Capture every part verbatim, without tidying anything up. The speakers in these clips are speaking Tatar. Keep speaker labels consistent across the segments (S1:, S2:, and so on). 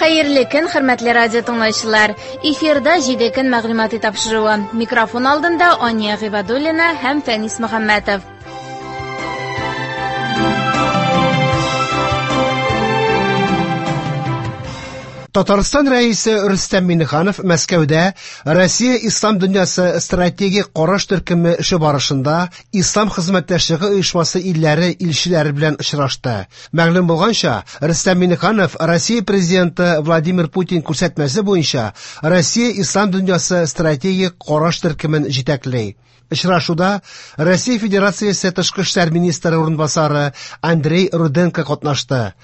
S1: Хәерле көн, хөрмәтле радио тыңлаучылар. Эфирда җиде көн мәгълүмати тапшыруы. Микрофон алдында Ания Гыйбадуллина һәм Фәнис Мөхәммәтов.
S2: Татарстан Рәисе Рөстәм Миңнеханов Мәскәүдә Россия Ислам дөньясы стратегик караш төркеме эше барышында Ислам хезмәттәшлеге оешмасы илләре илчеләре белән очрашты. Мәгълүм булганча, Рөстәм Миңнеханов Россия президенты Владимир Путин күрсәтмәсе буенча Россия Ислам дөньясы стратегик караш төркемен җитәкли. Очрашуда Россия Федерациясе тышкы эшләр министры урынбасары Андрей Руденко катнашты.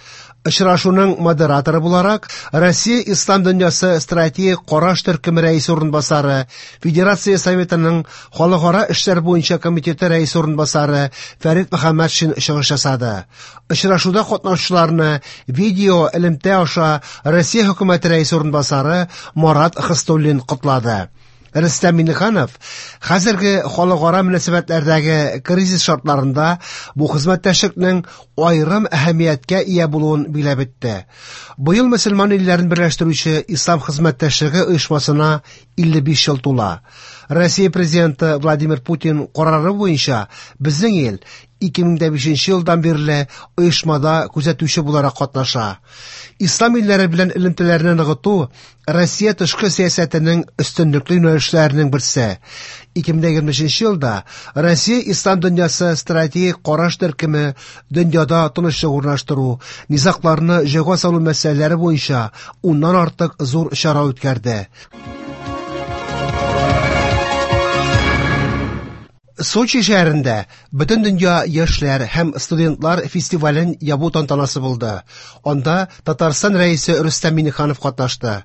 S2: Очрашуның модераторы буларак Россия Ислам дөньясы стратегик караш төркеме рәисе урынбасары, Федерация Советының халыкара эшләр буенча комитеты рәисе урынбасары Фәрит Мөхәммәтшин чыгыш ясады. Очрашуда катнашучыларны видео элемтә аша Россия хөкүмәте рәисе урынбасары Марат Хуснуллин котлады. Рөстәм Миңнеханов хәзерге халыкара мөнәсәбәтләрдәге кризис шартларында бу хезмәттәшлекнең аерым әһәмияткә ия булуын билгеләп үтте. Быел мөселман илләрен берләштерүче Ислам хезмәттәшлеге оешмасына илле биш ел тула. Россия президенты Владимир Путин карары буенча безнең ил ике мең дә бишенче елдан бирле оешмада күзәтүче буларак катнаша. Ислам илләре белән элемтәләрне ныгыту Россия тышкы сәясәтенең өстенлекле юнәлешләренең берсе. ике мең дә егерме өченче елда Россия Ислам дөньясы стратегик караш төркеме дөньяда тынычлык урнаштыру, низагларны җайга салу мәсьәләләре буенча уннан артык зур чара үткәрде. Сочи шәһәрендә Бөтен дөнья яшьләр һәм студентлар фестивален ябу тантанасы булды. Анда Татарстан Рәисе Рөстәм Миңнеханов катнашты.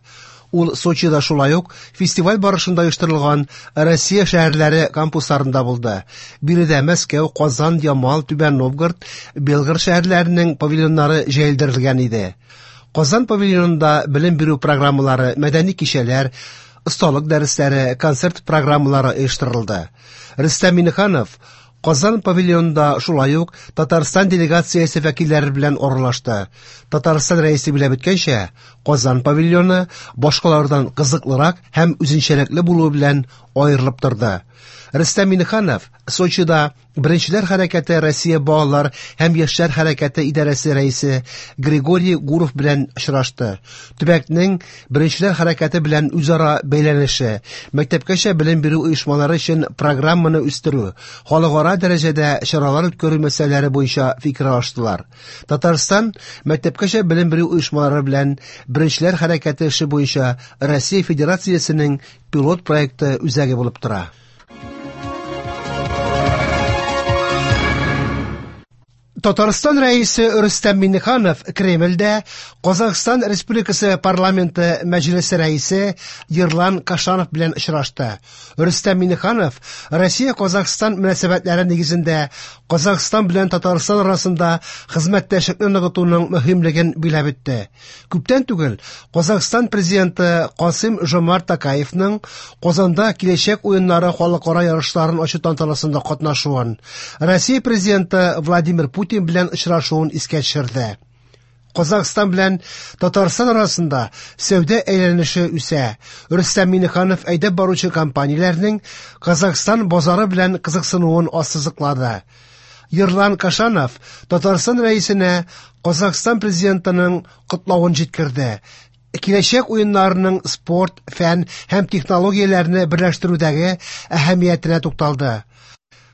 S2: Ул Сочида шулай ук фестиваль барышында оештырылган Россия шәһәрләре кампусларында булды. Биредә Мәскәү, Казан, Ямал, Түбән Новгород, Белгород шәһәрләренең павильоннары җәелдерелгән иде. Казан павильонында белем бирү программалары, мәдәни кичәләр, осталык дәресләре, концерт программалары оештырылды. Рөстәм Миңнеханов Казан павильонында шулай ук Татарстан делегациясе вәкилләре белән аралашты. Татарстан рәисе билгеләп үткәнчә, Казан павильоны башкалардан кызыклырак һәм үзенчәлекле булуы белән аерылып торды. Рөстәм Миңнеханов Сочида Беренчеләр хәрәкәте Россия балалар һәм яшьләр хәрәкәте идарәсе рәисе Григорий Гуров белән очрашты. Төбәкнең Беренчеләр хәрәкәте белән үзара бәйләнеше, мәктәпкәчә белем бирү оешмалары өчен программаны үстерү, халыкара дәрәҗәдә чаралар үткәрү мәсьәләләре буенча фикер алыштылар. Татарстан мәктәпкәчә белем бирү оешмалары белән Беренчеләр хәрәкәте эше буенча Россия Федерациясенең пилот проекты үзәге булып тора. Татарстан Рәисе Рөстәм Миңнеханов Кремльдә Казахстан Республикасы парламенты мәҗлесе рәисе Ерлан Кашанов белән очрашты. Рөстәм Миңнеханов Россия-Казахстан мөнәсәбәтләре нигезендә Казахстан белән Татарстан арасында хезмәттәшлекне ныгытуның мөһимлеген билгеләп үтте. Күптән түгел Казахстан президенты Касым Жомарт Токаевның Казанда киләчәк уеннары халыкара ярышларын ачу тантанасында катнашуын, Россия президенты Владимир Путин белән очрашуын искә төшерде. Казахстан белән Татарстан арасында сәүдә әйләнеше үсә. Рөстәм Миңнеханов әйдәп баручы компанияләрнең Казахстан базары белән кызыксынуын ассызыклады. Ерлан Кашанов Татарстан рәисенә Казахстан президентының котлавын җиткерде. Киләчәк уеннарының спорт, фән һәм технологияләрне берләштерүдәге әһәмиятенә тукталды.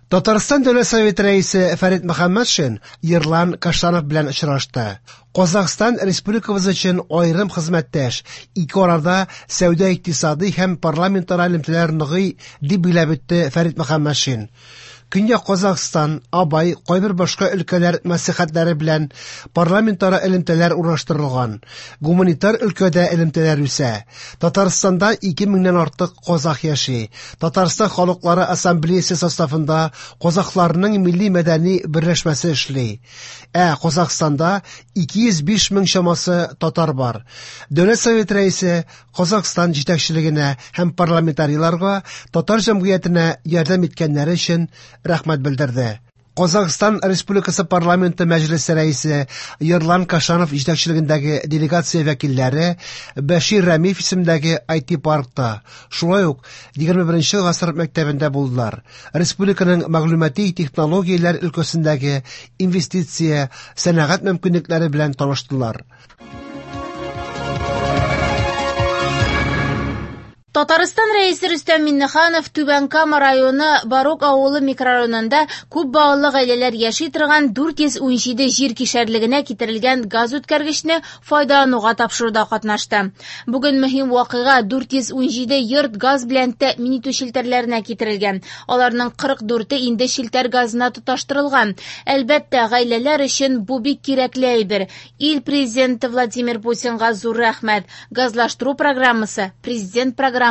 S2: Татарстан Дәүләт Советы рәисе Фәрит Мөхәммәтшин Ерлан Кашанов белән очрашты. Казахстан Республикабыз өчен аерым хезмәттәш, ике арада сәүдә икътисади һәм парламентара элемтәләр ныгый, дип билгеләп үтте Фәрит Мөхәммәтшин. Көньяк Казахстан, Абай, кайбер башка өлкәләр мәслихәтләре белән парламентара элемтәләр урнаштырылган. Гуманитар өлкәдә элемтәләр үсә. Татарстанда ике меңнән артык казах яши. Татарстан халыклары ассамблеясы составында казахларның милли мәдәни берләшмәсе эшли. Ә Казахстанда ике йөз биш мең чамасы татар бар. Дәүләт Советы рәисе Казахстан җитәкчелегенә һәм парламентарийларга татар җәмгыятенә ярдәм иткәннәре өчен рәхмәт белдерде. Казахстан Республикасы парламенты Мәҗлесе рәисе Ерлан Кашанов җитәкчелегендәге делегация вәкилләре Бәшир Рәмиев исемендәге ай ти-паркта, шулай ук егерме беренче гасыр мәктәбендә булдылар. Республиканың мәгълүмати технологияләр өлкәсендәге инвестиция, сәнәгать мөмкинлекләре белән таныштылар.
S1: Татарстан Рәисе Рөстәм Миңнеханов Түбән Кама районы Барук авылы микрорайонында күп балалы гаиләләр яши торган дүрт йөз ун җиде җир кишәрлегенә китерелгән газ үткәргечне файдалануга тапшыруда катнашты. Бүген мөһим вакыйга дүрт йөз ун җиде йорт газ белән тәэмин итү челтәрләренә китерелгән. Аларның кырык дүрте инде челтәр газына тоташтырылган. Әлбәттә, гаиләләр өчен бу бик кирәкле әйбер. Ил президенты Владимир Путинга зур рәхмәт. Газлаштыру программасы, президент программасы,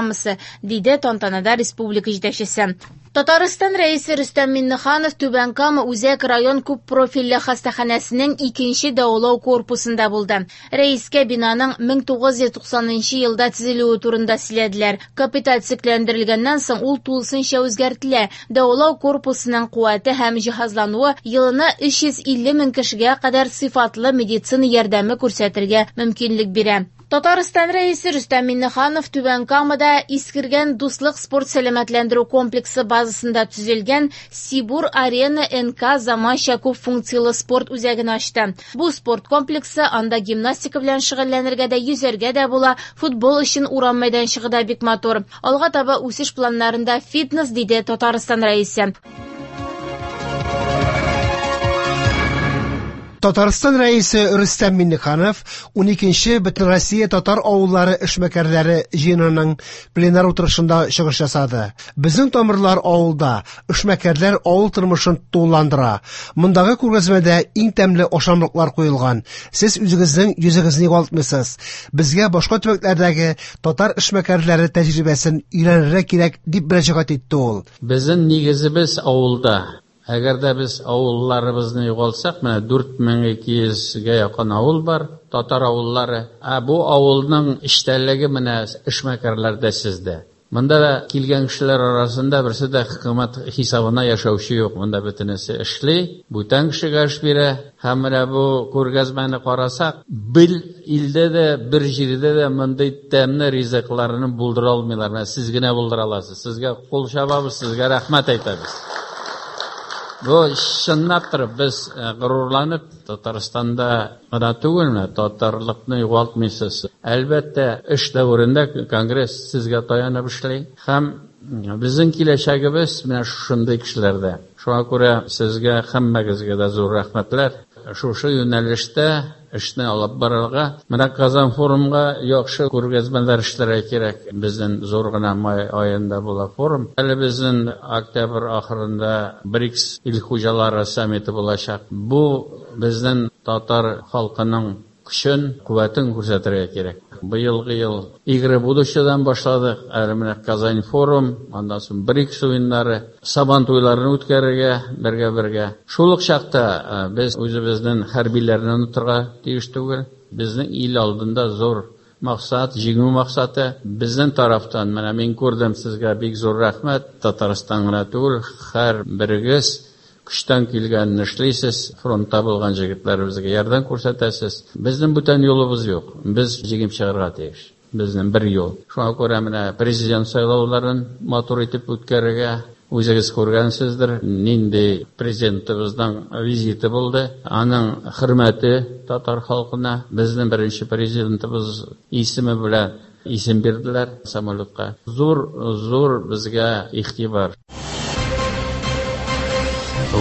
S1: диде тантанада республика җитәкчесе. Татарстан Рәисе Рөстәм Миңнеханов Түбән Кама Үзәк район күп профильле хастаханәсенең икенче дәвалау корпусында булды. Рәискә бинаның мең тугыз йөз туксанынчы елда төзелүе турында сөйләделәр. Капиталь төзекләндерелгәннән соң ул тулысынча үзгәртелә. Дәвалау корпусының куәте һәм җиһазлануы елына өч йөз илле мең кешегә кадәр сыйфатлы медицина ярдәме күрсәтергә мөмкинлек бирә. Татарстан Рәисе Рөстәм Миңнеханов Түбән Камада искергән Дуслык спорт сәламәтләндерү комплексы базасында төзелгән Сибур Арена эн ка заманча күп функцияле спорт үзәген ачты. Бу спорт комплексы анда гимнастика белән шөгыльләнергә дә, йөзәргә дә була, футбол өчен урам мәйданчыгы да бик матур. Алга таба үсеш планнарында фитнес, диде Татарстан Рәисе.
S2: Татарстан Рәисе Рөстәм Миңнеханов ун икенче Бөтенроссия татар авыллары эшмәкәрләре җыенының пленар утырышында чыгыш ясады. Безнең тамырлар авылда, эшмәкәрләр авыл тормышын тулыландыра. Мондагы күргәзмәдә иң тәмле ашамлыклар куелган. Сез үзегезнең йөзегезне югалтмыйсыз. Безгә башка төбәкләрдәге татар эшмәкәрләре тәҗрибәсен өйрәнергә кирәк, дип мөрәҗәгать итте ул.
S3: Безнең нигезебез авылда. Әгәр дә без авылларыбызны югалтсак, менә дүрт мең ике йөзгә якын авыл бар, татар авыллары. Ә бу авылның эчтәлеге менә эшмәкәрләрдә сездә. Монда да килгән кешеләр арасында берсе дә хөкүмәт хисабына яшәүче юк. Монда бөтенесе эшли, бүтән кешегә эш бирә. Һәм менә бу күргәзмәне карасак, бер илдә дә, бер җирдә дә мондый тәмле ризыкларны булдыра алмыйлар. Менә сез генә булдыра аласыз. Сезгә кул чабабыз, сезгә рәхмәт әйтәбез. Бу чынлап торып без горурланып Татарстанда гына түгел, менә татарлыкны югалтмыйсыз. Әлбәттә, эш дәверендә конгресс сезгә таянып эшли һәм безнең киләчәгебез менә шушындый кешеләрдә. Шуңа күрә сезгә һәммәгезгә дә зур рәхмәтләр. Шушы юнәлештә эшне алып барырга, менә Казан форумга яхшы күргәзмәләр эшләргә кирәк. Безнең зур гына май аенда була форум. Әле безнең октябрь ахырында БРИКС ил хуҗалары саммиты булачак. Бу безнең татар халкының көчен, куәтен күрсәтергә кирәк. Быелгы ел Игры будущедан башладык, әле менә Казан форум, аннан соң БРИКС уеннары, Сабан туйларын үткәрергә бергә-бергә. Шул ук чакта без үзебезнең хәрбиләрне онытырга тиеш түгел. Безнең ил алдында зур максат, җиңү максаты. Безнең тарафтан, менә мин күрдем, сезгә бик зур рәхмәт. Татарстан гына түгел, һәр берегез көчтән килгәнне эшлисез, фронтта булган җегетләребезгә ярдәм күрсәтәсез. Безнең бүтән юлыбыз юк. Без җиңеп чыгарга тиеш. Безнең бер юл. Шуңа күрә менә президент сайлауларын матур итеп үткәрергә үзегез күргәнсездер, нинди президентыбызның визиты булды. Аның хөрмәте татар халкына, безнең беренче президентыбыз исеме белән исем бирделәр самолетка. Зур, зур безгә игътибар.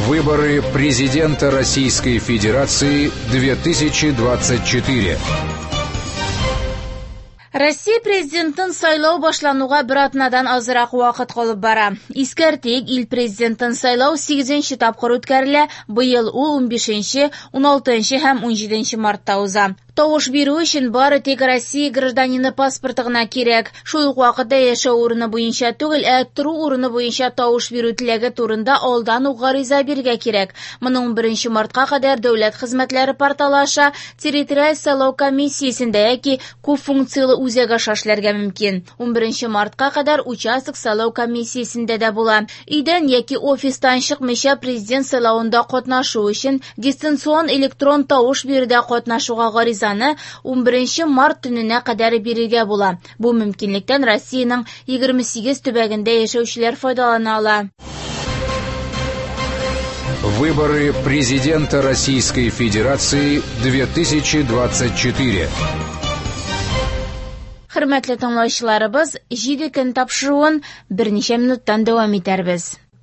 S4: Выборы президента Российской Федерации две тысячи двадцать четыре.
S1: Россия президентын сайлау башлануга бер атнадан азрак вакыт калып бара. Искәртик, ил президентын сайлау сигезенче тапкыр үткәрелә, быел ул унбишенче, уналтынчы һәм унҗиденче мартта уза. Тавыш бирү өчен бары тик Россия гражданины паспорты гына кирәк. Шул ук вакытта яшәү урыны буенча түгел, ә тору урыны буенча тавыш бирү теләге турында алдан ук гариза бирергә кирәк. Моны унберенче мартка кадәр дәүләт хезмәтләре порталы аша территориаль сайлау комиссиясендә яки күп функцияле үзәк аша эшләргә мөмкин. Унберенче мартка кадәр участок сайлау комиссиясендә дә була. Өйдән яки офистан чыкмыйча президент сайлавында катнашу өчен дистанцион электрон тавыш бирүдә катнашуга гариза унберенче март төненә кадәр бирергә була. Бу мөмкинлектән Россиянең егерме сигез төбәгендә яшәүчеләр файдалана ала.
S4: Выборы президента Российской Федерации две тысячи двадцать четыре.
S1: Хөрмәтле тыңлаучыларыбыз, җиде көн тапшыруын берничә минуттан дәвам итәрбез.